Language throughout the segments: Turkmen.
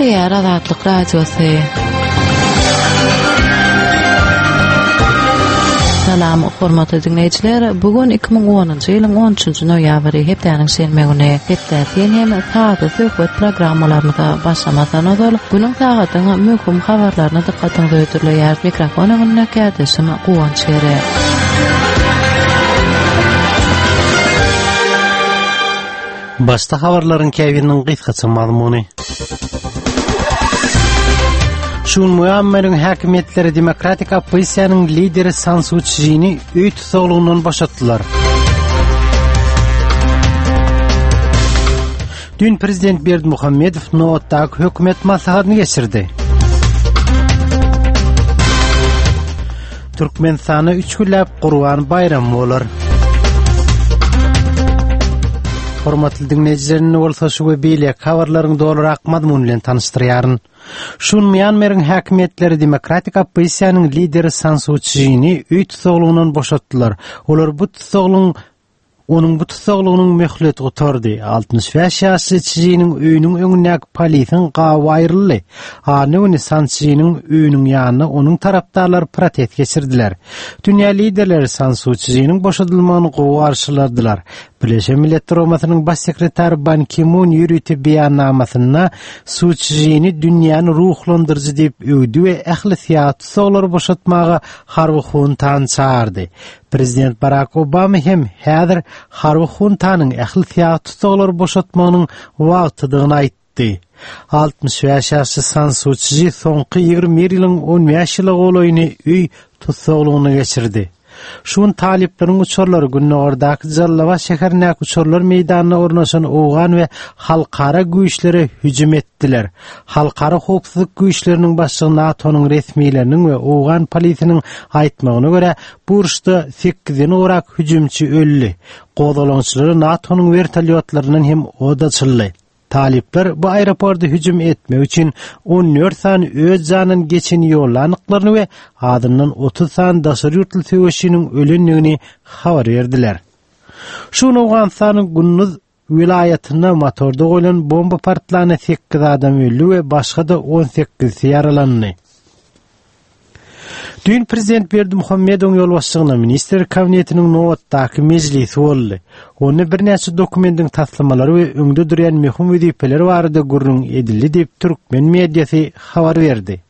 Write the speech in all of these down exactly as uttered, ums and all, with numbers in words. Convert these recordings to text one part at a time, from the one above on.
Gepleýär Azatlyk Radiosy. Salam, hormatly diňleýjiler. Bu gün iki müň onunjy ýylyň on üçünji noýabry, hepdäniň şenbe güni. Hepdä sen hem sazly söhbet programmalarymyza başlamazdan ozal günüň sagadyň möhüm habarlaryny dykgatyňyza hödürleýär. Mikrofon öňünde kärdeşim Guwanç Ere. Başda habarlaryň käbiriniň gysgaça mazmuny. Şu gün Myanmaryň häkimiýetleri demokratik oppozisiýanyň lideri San Suu Çjini öý tussaglygyndan boşatdylar. Düýn prezident Berdimuhamedow nobatdaky hökümet maslahatyny geçirdi. Türkmenistanda üç günläp Gurban baýramy bolar. Hormatly diňleýjiler, indi bolsa şu we beýleki habarlaryň dolurak mazmuny bilen tanyşdyrýaryn. Şu gün Mýanmaryň häkimiýetleri demokratik oppozisiýanyň lideri San Suu Çjini öý tussaglygyndan boşatdylar. Olar bu tussaglygyň Onuň bu tussaglygynyň möhleti gutardy. Altmyş bäş ýaşly Çžiniň öýüniň öňündäki polisiň gaby aýryldy. Anna güni San Çžiniň öýüniň ýanynda onuň tarapdarlary protest geçirdiler. Dünýä liderleri San Su Çžiniň boşadylmagyny gowy garşyladylar. Birleşen Milletler Guramasynyň Baş sekretary Ban Ki Mun ýörite beýannamasynda Su Çžini dünýäni ruhlandyryjy diýip öwdi we ähli syýasy tussaglary boşatmaga harby huntany çagyrdy. Prezident Barak Obama hem häzir harby huntanyň ähli syýasy tussaglary boşatmagynyň wagtydygyny aýtdy. Altmyş bäş ýaşly San Su Çži soňky ýigrimi bir ýylyň on bäş ýyla golaýyny öý tussaglygynda geçirdi. Şu gün talyplaryň uçarlary gündogardaky Jallabat şäherindäki uçarlar meýdanyna ornaşan owgan we halkara güýçlere hüjüm etdiler. Halkara howpsuzlyk güýçleriniň başlygy NATO-nyň resmileriniň we owgan polisiniň aýtmagyna görä, bu uruşda sekizden gowrak hüjümçi öldi. Gozgalaňçylara NATO-nyň wertolýotlaryndan hem od açyldy. Talyplar bu aeroporta hüjüm etmek üçin on dört sany öz janyndan geçeni ýollandyklaryny we azyndan otuz sany daşary ýurtly söweşçiniň ölendigini habar berdiler. Şu gün Owganystanyň Gunduz welaýatynda motorda goýlan bomba partlanda sekiz adam öldi we başga-da on sekizisi ýaralandy. Düýn prezident Berdimuhamedowyň ýolbaşçylygynda ministrler kabinetiniň nobatdaky mejlisi boldy. Onda birnäçe dokumentiň taslamalary we öňde durýan möhüm wezipeler barada gürrüň edildi diýip türkmen mediasy habar berdi.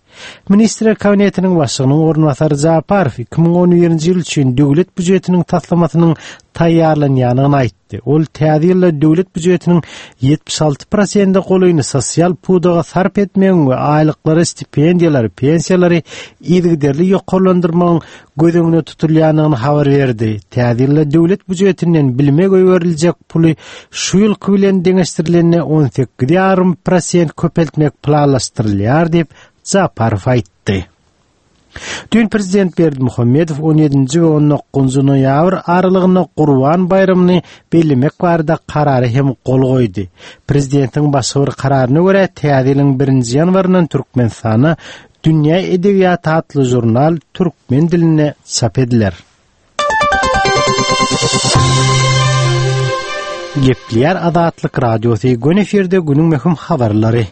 Ministrler kabinetiniň başlygynyň orunbasary Japarow iki müň on birinji ýyl üçin döwlet býujetiniň taslamasynyň taýýarlanýandygyny aýtdy. Ol täze ýylda döwlet býujetiniň ýetmiş alty prosente golaýyny sosial pudaga sarp etmegiň we aýlyklary, stipendiýalary, pensiýalary yzygiderli ýokarlandyrmagyň göz öňünde tutulýandygyny habar berdi. Täze ýylda döwlet býujetinden bilime goýberiljek puly şu ýylky bilen deňeşdirilende on sekiz ýarym prosent köpeltmek planlaşdyrylýar diýip Japarow aýtdy. Düýn prezident Berdimuhamedow on ýedinji we on dokuzynjy noýabr aralygynda Gurban baýramyny bellemek barada karara hem gol goýdy. Prezidentiň başga bir kararyna görä täze ýylyň birinji ýanwaryndan Türkmenistanda Dünýä edebiýaty atly žurnal türkmen dilinde çap ediler. Gepleýär Azatlyk Radiosy, gün efirde günüň möhüm habarlary.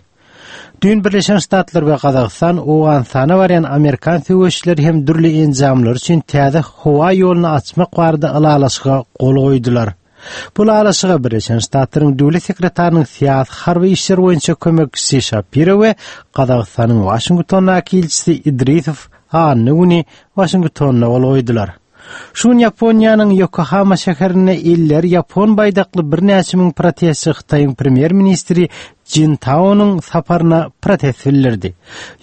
Düýn Birleşen Ştatlar we Gazagystan Owganystana barýan amerikan söweşçileri hem dürli enjamlar üçin täze howa ýoluny açmak barada ylalaşyga gol goýdular. Bu ylalaşyga Birleşen Ştatlaryň döwlet sekretarynyň syýasy harby işler boýunça kömekçisi Şapiro we Gazagystanyň Waşingtondaky ilçisi Idrisow anna güni Waşingtonda gol goýdular. Şu gün Ýaponiýanyň Ýokohama şäherinde elleri ýapon baýdakly birnäçe müň protestçi Hytaýyň premýer-ministri Jin Taonyň saparyna protest bildirdi.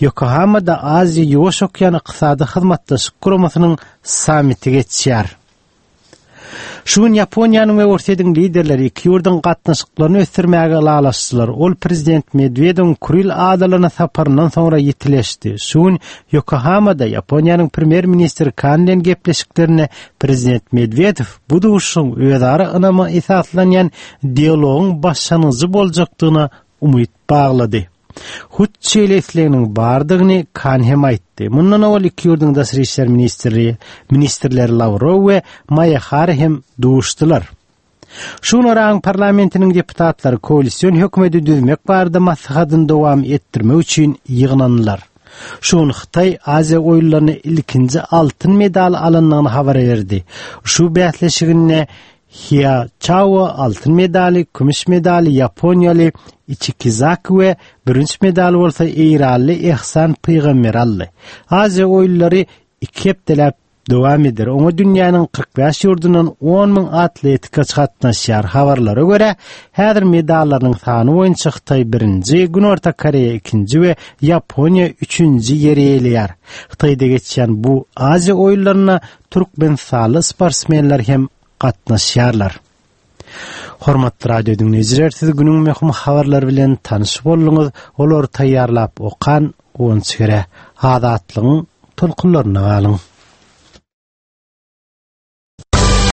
Ýokohamada Aziýa Ýuwaş okean ykdysady hyzmatdaşlyk guramasynyň sammiti geçýär. Şu gün Ýaponiýanyň we Orsýetiň liderleri iki ýurduň gatnaşyklaryny ösdürmäge ylalaşdylar. Ol prezident Medwedewiň Kuril adalaryna saparyndan soňra ýitileşdi. Şu gün Ýokohamada Ýaponiýanyň premýer-ministri Kan bilen gepleşiklerinde prezident Medwedew bu duşuşygyň özara ynama esaslanýan dialogyň başlangyjy boljakdygyna umyt baglady. Hut şeýle isleginiň bardygyny Kan hem aýtdy. Mundan owal iki ýurduň daşary işler ministri, ministrleri Lawrow we Maýahara hem duşdular. Şu Yragyň parlamentiniň deputatlary koalisyon hökümeti düzmek barada maslahatyny dowam etdirmek üçin ýygnandylar. Şu gün Hytaý Aziýa oýunlaryny ilkinji altyn medal alandygyny habar berdi. Şu bäsleşiginde Hia Chao altyn medaly, kümüş medaly Ýaponiýaly Ichikizaki we bürünç medaly bolsa Eýranly Ehsan Pygamber aldy. Aziýa oýunlary iki hepdeläp dowam eder. Oňa dünýäniň kyrk bäş ýurdundan on müň atletika gatnaşýar. Habarlara görä, häzir medallaryň sany boýunça Hytaý birinji, Günorta Koreýa ikinji we Ýaponiýa üçünji ýeri eýeleýär. Hytaýda geçýän bu Aziýa oýunlaryna Türkmenistanly sportsmenler hem gatnaşýarlar. Hormatly radio dinleýjiler, siz günüň möhüm habarlary bilen tanyş bolduňyz. Olary taýýarlap okan Guwanç Gere. Azatlygyň tolkunlaryna galyň.